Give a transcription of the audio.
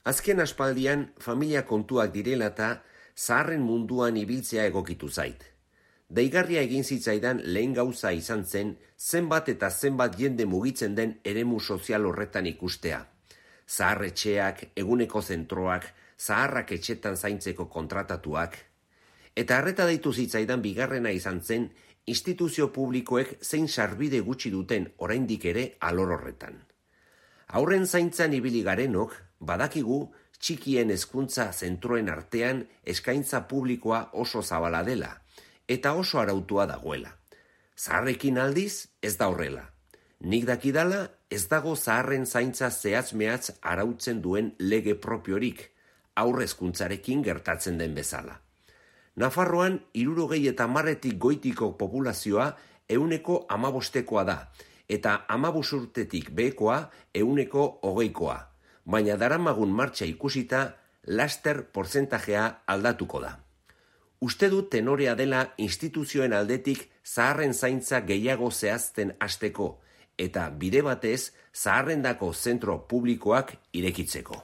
Azken aspaldian familia kontuak direla eta zaharren munduan ibiltzea egokitu zait. Deigarria egin zitzaidan lehen gauza izan zen zenbat eta zenbat jende mugitzen den eremu sozial horretan ikustea. Zaharretxeak, eguneko zentroak, zaharrak etxetan zaintzeko kontratatuak. Eta harreta deitu zitzaidan bigarrena izan zen instituzio publikoek zein sarbide gutxi duten oraindik ere alor horretan. Haurren zaintzan ibili garenok, badakigu txikien hezkuntza zentroen artean eskaintza publikoa oso zabala dela, eta oso arautua dagoela. Zaharrekin aldiz ez da horrela. Nik dakidala ez dago zaharren zaintza zehatz-mehatz arautzen duen lege propiorik, haur hezkuntzarekin gertatzen den bezala. Nafarroan 70 goitiko populazioa 15%koa da, eta 15 urtetik behekoa 20%koa, baina daramagun martxa ikusita laster porzentajea aldatuko da. Uste dut tenorea dela instituzioen aldetik zaharren zaintza gehiago zehazten hasteko, eta bide batez zaharrendako zentro publikoak irekitzeko.